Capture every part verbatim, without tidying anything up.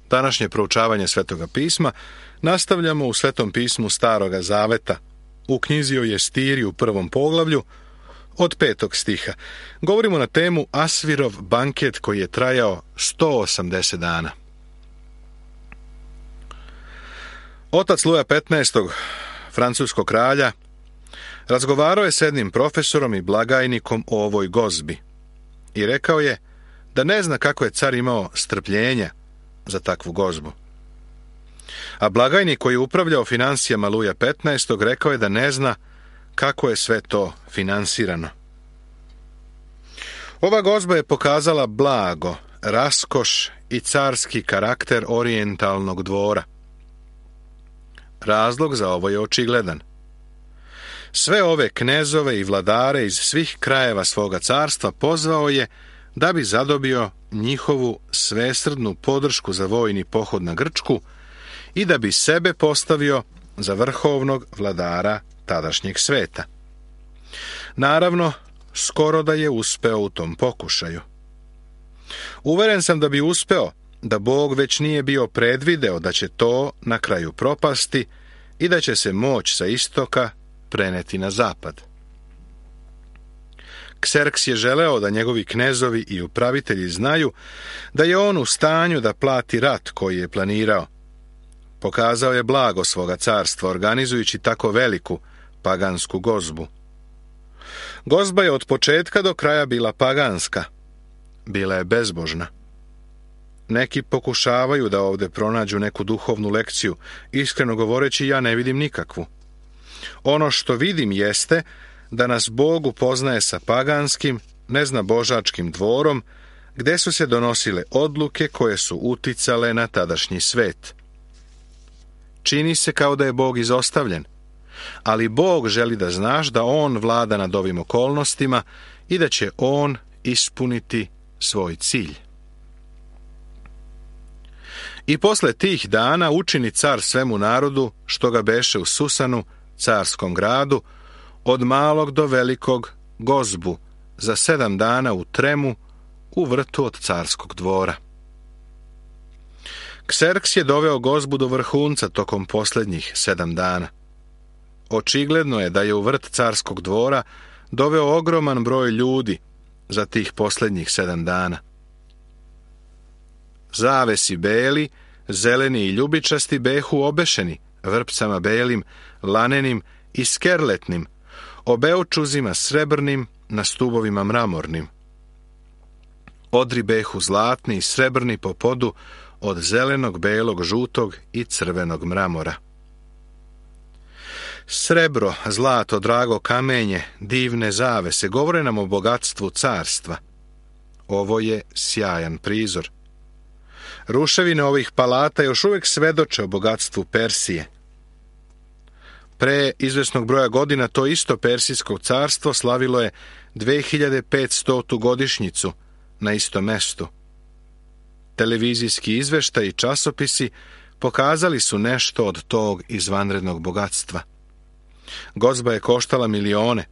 Današnje proučavanje Svetoga pisma nastavljamo u Svetom pismu Staroga zaveta, u knjizi o Jestiri u prvom poglavlju, od petog stiha. Govorimo na temu Asvirov banket koji je trajao sto osamdeset dana. Otac Luja petnaestog, francuskog kralja, razgovarao je s jednim profesorom i blagajnikom o ovoj gozbi i rekao je da ne zna kako je car imao strpljenja za takvu gozbu. A blagajnik koji je upravljao financijama Luja petnaestog rekao je da ne zna kako je sve to finansirano. Ova gozba je pokazala blago, raskoš i carski karakter orijentalnog dvora. Razlog za ovo je očigledan. Sve ove knezove i vladare iz svih krajeva svoga carstva pozvao je da bi zadobio njihovu svesrdnu podršku za vojni pohod na Grčku i da bi sebe postavio za vrhovnog vladara tadašnjeg sveta. Naravno, skoro da je uspeo u tom pokušaju. Uveren sam da bi uspeo, da Bog već nije bio predvideo da će to na kraju propasti i da će se moć sa istoka preneti na zapad. Kserks je želeo da njegovi knezovi i upravitelji znaju da je on u stanju da plati rat koji je planirao. Pokazao je blago svoga carstva, organizujući tako veliku pagansku gozbu. Gozba je od početka do kraja bila paganska. Bila je bezbožna. Neki pokušavaju da ovdje pronađu neku duhovnu lekciju. Iskreno govoreći, ja ne vidim nikakvu. Ono što vidim jeste da nas Bog upoznaje sa paganskim, neznabožačkim dvorom, gdje su se donosile odluke koje su uticale na tadašnji svet. Čini se kao da je Bog izostavljen, ali Bog želi da znaš da On vlada nad ovim okolnostima i da će On ispuniti svoj cilj. I posle tih dana učini car svemu narodu što ga beše u Susanu, carskom gradu, od malog do velikog gozbu, za sedam dana u tremu, u vrtu od carskog dvora. Kserks je doveo gozbu do vrhunca tokom posljednjih sedam dana. Očigledno je da je u vrt carskog dvora doveo ogroman broj ljudi za tih posljednjih sedam dana. Zavesi beli, zeleni i ljubičasti behu obešeni vrpcama belim, lanenim i skerletnim, obeočuzima srebrnim na stubovima mramornim. Odri behu zlatni i srebrni po podu od zelenog, belog, žutog i crvenog mramora. Srebro, zlato, drago kamenje, divne zavese govore nam o bogatstvu carstva. Ovo je sjajan prizor. Ruševine ovih palata još uvijek svedoče o bogatstvu Persije. Pre izvesnog broja godina to isto Persijsko carstvo slavilo je dve hiljade petstotu godišnjicu na istom mestu. Televizijski izveštaj i časopisi pokazali su nešto od tog izvanrednog bogatstva. Gozba je koštala milione.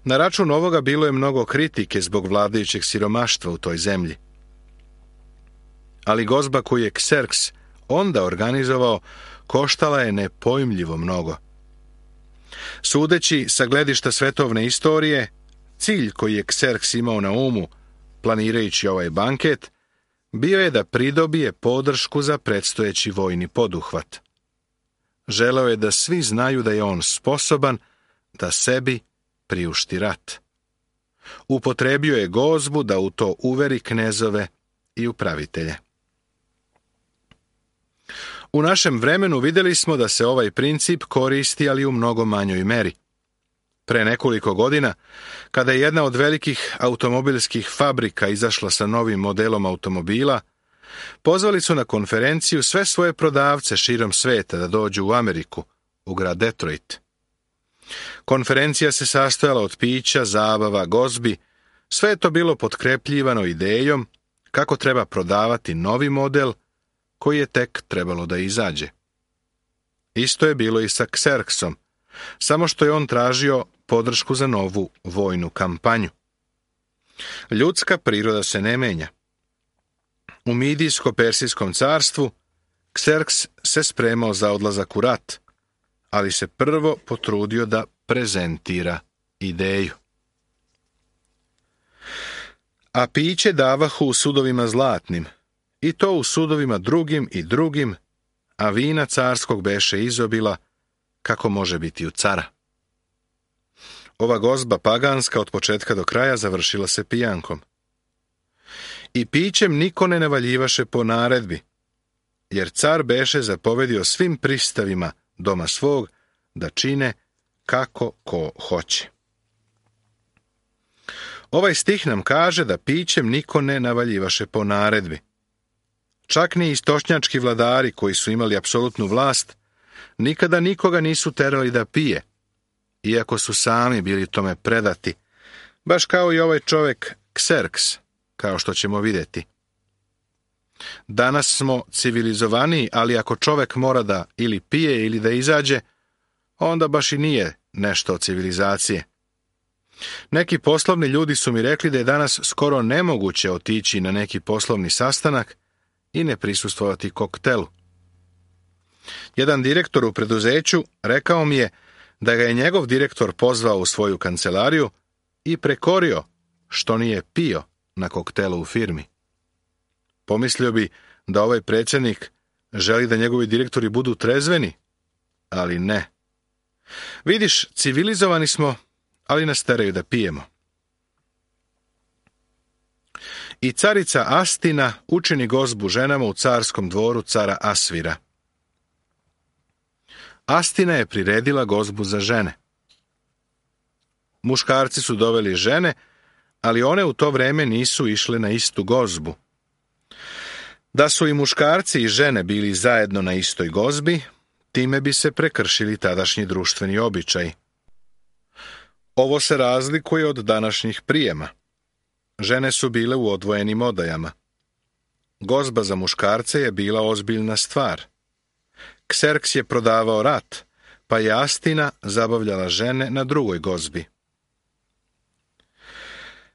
Na račun ovoga bilo je mnogo kritike zbog vladajućeg siromaštva u toj zemlji. Ali gozba koju je Kserks onda organizovao koštala je nepojmljivo mnogo. Sudeći sa gledišta svetovne istorije, cilj koji je Kserks imao na umu, planirajući ovaj banket, bio je da pridobije podršku za predstojeći vojni poduhvat. Želeo je da svi znaju da je on sposoban da sebi priušti rat. Upotrebio je gozbu da u to uveri knezove i upravitelje. U našem vremenu vidjeli smo da se ovaj princip koristi, ali u mnogo manjoj meri. Pre nekoliko godina, kada je jedna od velikih automobilskih fabrika izašla sa novim modelom automobila, pozvali su na konferenciju sve svoje prodavce širom sveta da dođu u Ameriku, u grad Detroit. Konferencija se sastojala od pića, zabava, gozbi, sve je to bilo potkrepljivano idejom kako treba prodavati novi model koji je tek trebalo da izađe. Isto je bilo i sa Kserksom, samo što je on tražio podršku za novu vojnu kampanju. Ljudska priroda se ne menja. U Midijsko-Persijskom carstvu Kserks se spremao za odlazak u rat, ali se prvo potrudio da prezentira ideju. A piće davahu u sudovima zlatnim, i to u sudovima drugim i drugim, a vina carskog beše izobila, kako može biti u cara. Ova gozba paganska od početka do kraja završila se pijankom. I pićem niko ne navaljivaše po naredbi, jer car beše zapovedio svim pristavima doma svog da čine kako ko hoće. Ovaj stih nam kaže da pićem niko ne navaljivaše po naredbi. Čak ni istočnjački vladari koji su imali apsolutnu vlast nikada nikoga nisu terali da pije, iako su sami bili tome predati, baš kao i ovaj čovjek Kserks, kao što ćemo vidjeti. Danas smo civilizovaniji, ali ako čovjek mora da ili pije ili da izađe, onda baš i nije nešto od civilizacije. Neki poslovni ljudi su mi rekli da je danas skoro nemoguće otići na neki poslovni sastanak i ne prisustvovati koktelu. Jedan direktor u preduzeću rekao mi je da ga je njegov direktor pozvao u svoju kancelariju i prekorio što nije pio na koktelu u firmi. Pomislio bi da ovaj predsjednik želi da njegovi direktori budu trezveni, ali ne. Vidiš, civilizovani smo, ali nas teraju da pijemo. I carica Astina učini gozbu ženama u carskom dvoru cara Asvira. Astina je priredila gozbu za žene. Muškarci su doveli žene, ali one u to vrijeme nisu išle na istu gozbu. Da su i muškarci i žene bili zajedno na istoj gozbi, time bi se prekršili tadašnji društveni običaji. Ovo se razlikuje od današnjih prijema. Žene su bile u odvojenim odajama. Gozba za muškarce je bila ozbiljna stvar. Kserks je prodavao rat, pa je Astina zabavljala žene na drugoj gozbi.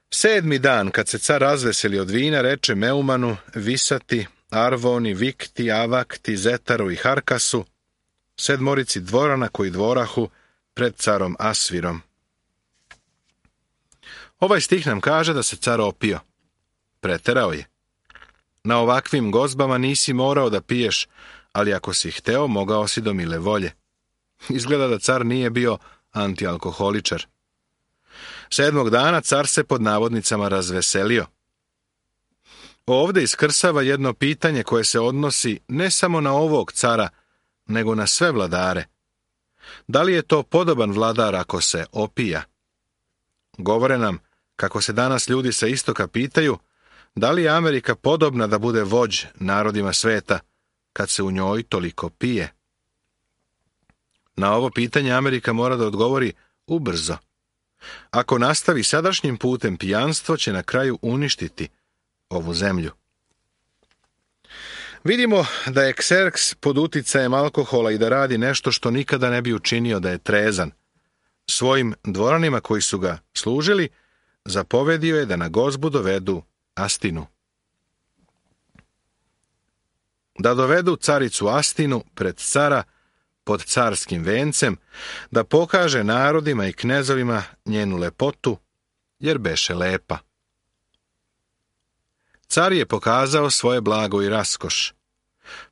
Sedmi dan, kad se car razveseli od vina, reče Meumanu, Visati, Arvoni, Vikti, Avakti, Zetaru i Harkasu, sedmorici dvorana koji dvorahu pred carom Asvirom. Ovaj stih nam kaže da se car opio. Preterao je. Na ovakvim gozbama nisi morao da piješ, ali ako si hteo, mogao si do mile volje. Izgleda da car nije bio antialkoholičar. Sedmog dana car se pod navodnicama razveselio. Ovdje iskrsava jedno pitanje koje se odnosi ne samo na ovog cara, nego na sve vladare. Da li je to podoban vladar ako se opija? Govore nam kako se danas ljudi sa istoka pitaju da li je Amerika podobna da bude vođ narodima sveta kad se u njoj toliko pije. Na ovo pitanje Amerika mora da odgovori ubrzo. Ako nastavi sadašnjim putem, pijanstvo će na kraju uništiti ovu zemlju. Vidimo da je Kserks pod uticajem alkohola i da radi nešto što nikada ne bi učinio da je trezan. Svojim dvoranima koji su ga služili, zapovedio je da na gozbu dovedu Astinu. Da dovedu caricu Astinu pred cara pod carskim vencem, da pokaže narodima i knezovima njenu lepotu, jer beše lepa. Car je pokazao svoje blago i raskoš.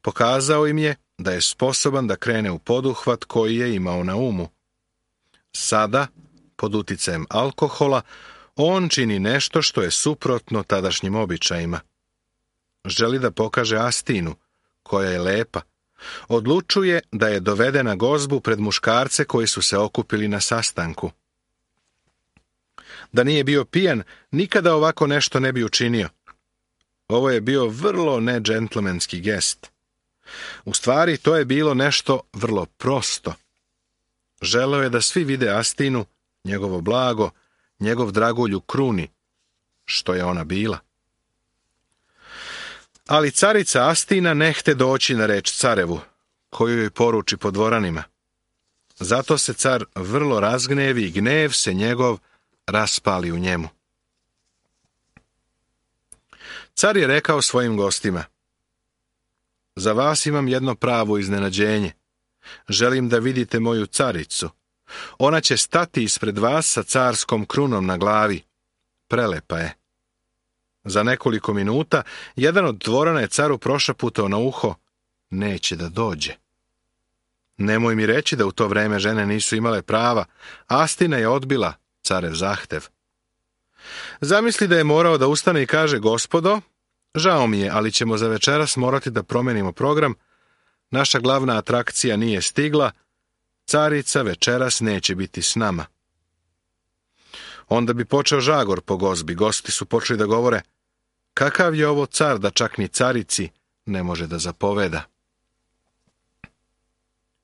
Pokazao im je da je sposoban da krene u poduhvat koji je imao na umu. Sada, pod uticajem alkohola, on čini nešto što je suprotno tadašnjim običajima. Želi da pokaže Astinu, koja je lepa. Odlučuje da je dovede na gozbu pred muškarce koji su se okupili na sastanku. Da nije bio pijan, nikada ovako nešto ne bi učinio. Ovo je bio vrlo nedžentlmenski gest. U stvari, to je bilo nešto vrlo prosto. Želeo je da svi vide Astinu, njegovo blago, njegov dragulj u kruni, što je ona bila. Ali carica Astina ne hte doći na reč carevu, koju joj poruči po dvoranima. Zato se car vrlo razgnevi i gnev se njegov raspali u njemu. Car je rekao svojim gostima: za vas imam jedno pravo iznenađenje. Želim da vidite moju caricu. Ona će stati ispred vas sa carskom krunom na glavi. Prelepa je. Za nekoliko minuta jedan od dvorana je caru prošaputao na uho: neće da dođe. Nemoj mi reći da u to vreme žene nisu imale prava. Astina je odbila carev zahtev. Zamisli da je morao da ustane i kaže: gospodo, žao mi je, ali ćemo za večeras morati da promenimo program. Naša glavna atrakcija nije stigla. Carica večeras neće biti s nama. Onda bi počeo žagor po gozbi. Gosti su počeli da govore: kakav je ovo car da čak ni carici ne može da zapoveda.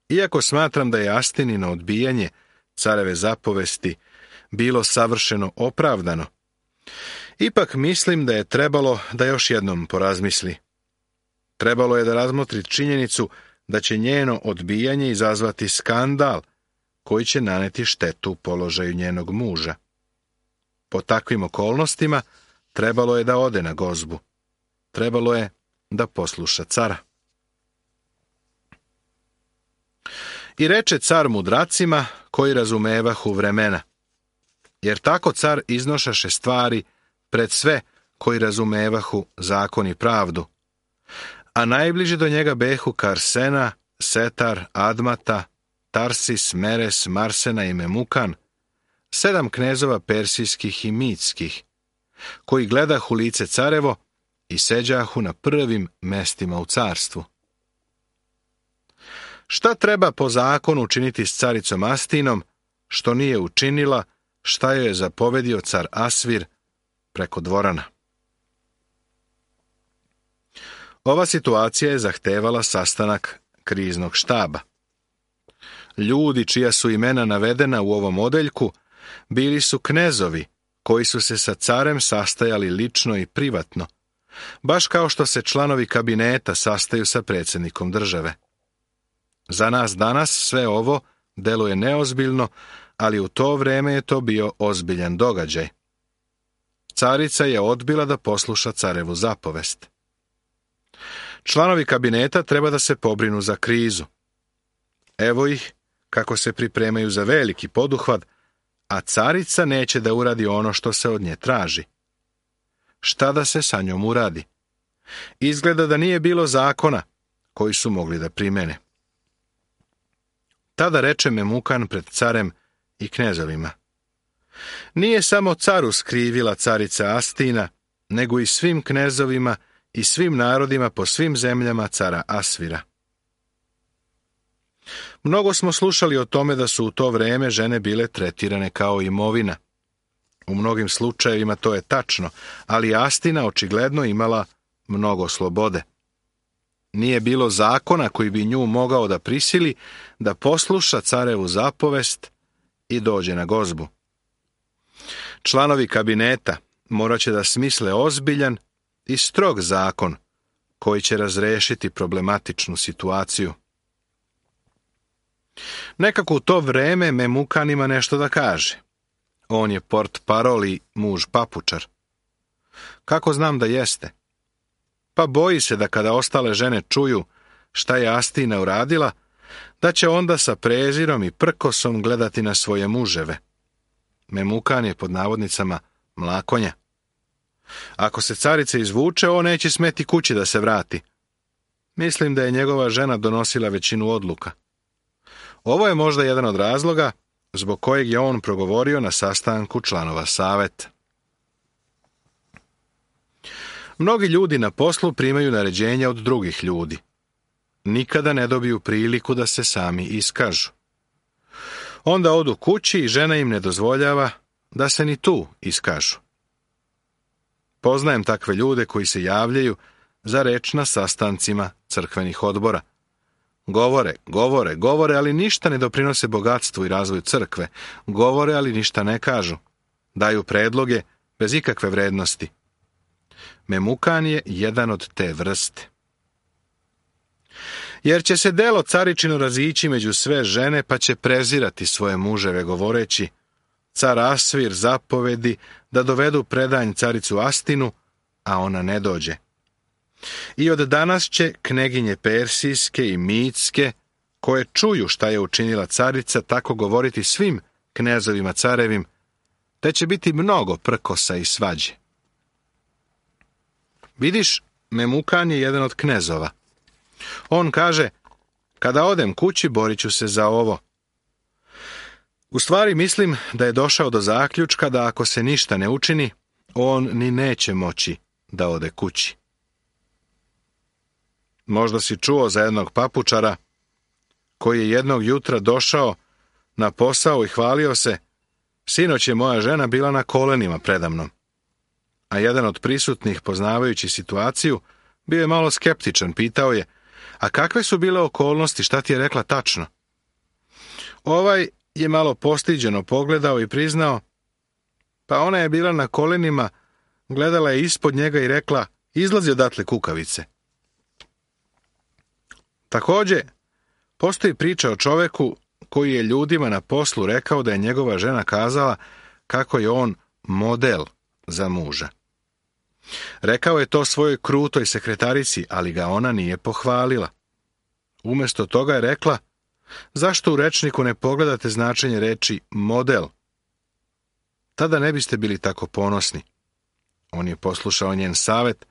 Iako smatram da je Astinino odbijanje careve zapovesti bilo savršeno opravdano, ipak mislim da je trebalo da još jednom porazmisli. Trebalo je da razmotri činjenicu da će njeno odbijanje izazvati skandal koji će naneti štetu položaju njenog muža. Po takvim okolnostima trebalo je da ode na gozbu. Trebalo je da posluša cara. I reče car mudracima koji razumevahu vremena, jer tako car iznošaše stvari pred sve koji razumevahu zakon i pravdu. A najbliži do njega behu Karsena, Setar, Admata, Tarsis, Meres, Marsena i Memukan, sedam knezova persijskih i mitskih, koji gledahu lice carevo i seđahu na prvim mestima u carstvu. Šta treba po zakonu učiniti s caricom Astinom, što nije učinila, šta joj je zapovedio car Asvir preko dvorana? Ova situacija je zahtevala sastanak kriznog štaba. Ljudi čija su imena navedena u ovom odeljku bili su knezovi koji su se sa carem sastajali lično i privatno, baš kao što se članovi kabineta sastaju sa predsjednikom države. Za nas danas sve ovo deluje neozbiljno, ali u to vreme je to bio ozbiljan događaj. Carica je odbila da posluša carevu zapovest. Članovi kabineta treba da se pobrinu za krizu. Evo ih kako se pripremaju za veliki poduhvat, a carica neće da uradi ono što se od nje traži. Šta da se sa njom uradi? Izgleda da nije bilo zakona koji su mogli da primene. Tada reče Memukan pred carem i knezovima: nije samo caru skrivila carica Astina, nego i svim knezovima i svim narodima po svim zemljama cara Asvira. Mnogo smo slušali o tome da su u to vreme žene bile tretirane kao imovina. U mnogim slučajevima to je tačno, ali Astina očigledno imala mnogo slobode. Nije bilo zakona koji bi nju mogao da prisili da posluša carevu zapovest i dođe na gozbu. Članovi kabineta morat će da smisle ozbiljan i strog zakon koji će razrešiti problematičnu situaciju. Nekako u to vreme Memukan ima nešto da kaže. On je portparol i muž papučar. Kako znam da jeste? Pa boji se da kada ostale žene čuju šta je Astina uradila, da će onda sa prezirom i prkosom gledati na svoje muževe. Memukan je pod navodnicama mlakonja. Ako se carica izvuče, on neće smeti kući da se vrati. Mislim da je njegova žena donosila većinu odluka. Ovo je možda jedan od razloga zbog kojeg je on progovorio na sastanku članova saveta. Mnogi ljudi na poslu primaju naređenja od drugih ljudi. Nikada ne dobiju priliku da se sami iskažu. Onda odu kući i žena im ne dozvoljava da se ni tu iskažu. Poznajem takve ljude koji se javljaju za reč na sastancima crkvenih odbora. Govore, govore, govore, ali ništa ne doprinose bogatstvu i razvoju crkve. Govore, ali ništa ne kažu. Daju predloge bez ikakve vrednosti. Memukan je jedan od te vrste. Jer će se delo caričino razići među sve žene, pa će prezirati svoje muževe, govoreći: car Asvir zapovedi da dovedu predanj caricu Astinu, a ona ne dođe. I od danas će kneginje persijske i mitske, koje čuju šta je učinila carica, tako govoriti svim knezovima carevim, te će biti mnogo prkosa i svađe. Vidiš, Memukan je jedan od knezova. On kaže, kada odem kući, borit ću se za ovo. U stvari mislim da je došao do zaključka da ako se ništa ne učini, on ni neće moći da ode kući. Možda si čuo za jednog papučara koji je jednog jutra došao na posao i hvalio se, sinoć je moja žena bila na kolenima predamnom. A jedan od prisutnih, poznavajući situaciju, bio je malo skeptičan, pitao je, a kakve su bile okolnosti, šta ti je rekla tačno? Ovaj je malo postiđeno pogledao i priznao, pa ona je bila na kolenima, gledala je ispod njega i rekla, izlazi odatle kukavice. Također, postoji priča o čoveku koji je ljudima na poslu rekao da je njegova žena kazala kako je on model za muža. Rekao je to svojoj krutoj sekretarici, ali ga ona nije pohvalila. Umjesto toga je rekla, zašto u rečniku ne pogledate značenje reči model? Tada ne biste bili tako ponosni. On je poslušao njen savjet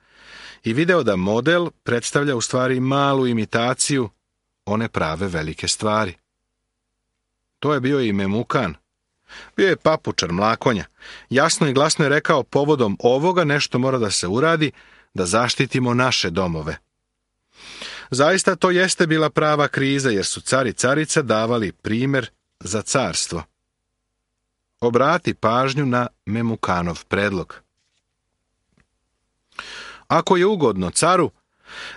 i video da model predstavlja u stvari malu imitaciju one prave velike stvari. To je bio i Memukan. Bio je papučar mlakonja. Jasno i glasno je rekao, povodom ovoga nešto mora da se uradi, da zaštitimo naše domove. Zaista to jeste bila prava kriza, jer su car i carica davali primjer za carstvo. Obrati pažnju na Memukanov predlog. Ako je ugodno caru,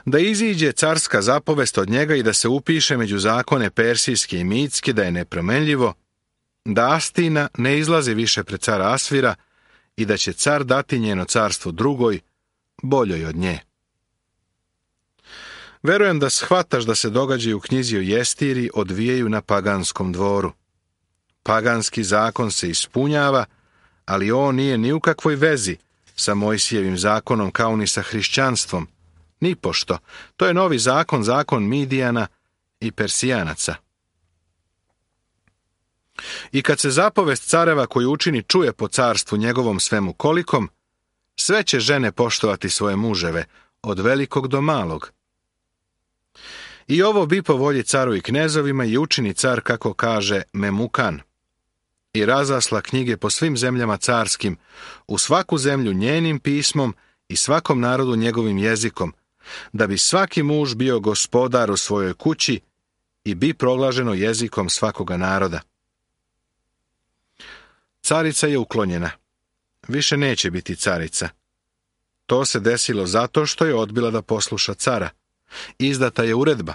da iziđe carska zapovest od njega i da se upiše među zakone persijske i mitske da je nepromenljivo, da Astina ne izlazi više pred cara Asvira i da će car dati njeno carstvo drugoj, boljoj od nje. Verujem da shvataš da se događaju u knjizi o Jestiri odvijaju na paganskom dvoru. Paganski zakon se ispunjava, ali on nije ni u kakvoj vezi sa Mojsijevim zakonom kao ni sa hrišćanstvom. Nipošto. To je novi zakon, zakon Midijana i Persijanaca. I kad se zapovest careva koju učini čuje po carstvu njegovom svemu kolikom, sve će žene poštovati svoje muževe, od velikog do malog. I ovo bi po volji caru i knezovima i učini car, kako kaže Memukan. I razasla knjige po svim zemljama carskim, u svaku zemlju njenim pismom i svakom narodu njegovim jezikom, da bi svaki muž bio gospodar u svojoj kući i bi proglaženo jezikom svakoga naroda. Carica je uklonjena. Više neće biti carica. To se desilo zato što je odbila da posluša cara. Izdata je uredba.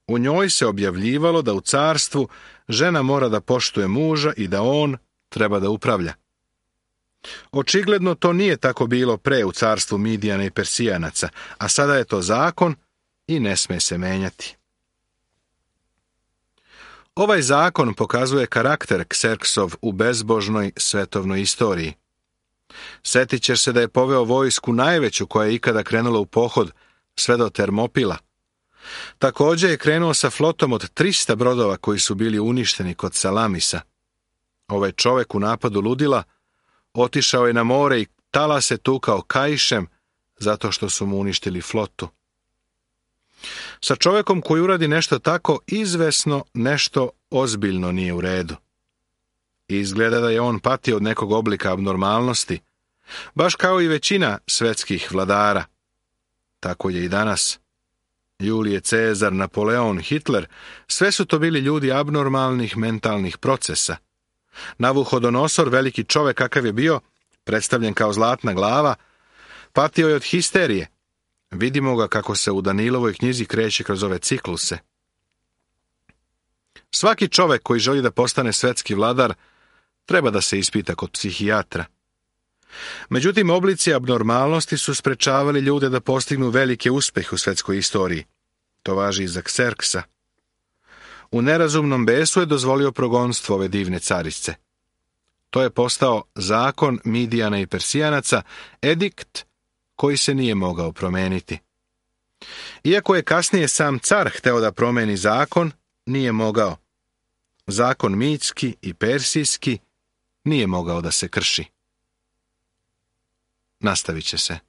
U njoj se objavljivalo da u carstvu žena mora da poštuje muža i da on treba da upravlja. Očigledno to nije tako bilo pre u carstvu Midijana i Persijanaca, a sada je to zakon i ne sme se menjati. Ovaj zakon pokazuje karakter Kserksov u bezbožnoj svetovnoj istoriji. Setit ćeš se da je poveo vojsku najveću koja je ikada krenula u pohod sve do Termopila. Također je krenuo sa flotom od trista brodova koji su bili uništeni kod Salamisa. Ovaj čovek u napadu ludila otišao je na more i talase tukao kaišem zato što su mu uništili flotu. Sa čovjekom koji uradi nešto tako, izvesno nešto ozbiljno nije u redu. Izgleda da je on patio od nekog oblika abnormalnosti, baš kao i većina svetskih vladara. Tako je i danas. Julije Cezar, Napoleon, Hitler, sve su to bili ljudi abnormalnih mentalnih procesa. Navuhodonosor, veliki čovjek kakav je bio, predstavljen kao zlatna glava, patio je od histerije. Vidimo ga kako se u Danilovoj knjizi kreće kroz ove cikluse. Svaki čovjek koji želi da postane svetski vladar treba da se ispita kod psihijatra. Međutim, oblici abnormalnosti su sprečavali ljude da postignu velike uspjehe u svetskoj istoriji. To važi i za Kserksa. U nerazumnom besu je dozvolio progonstvo ove divne carice. To je postao zakon Midijana i Persijanaca, edikt koji se nije mogao promijeniti. Iako je kasnije sam car hteo da promeni zakon, nije mogao. Zakon mitski i persijski nije mogao da se krši. Nastavit će se.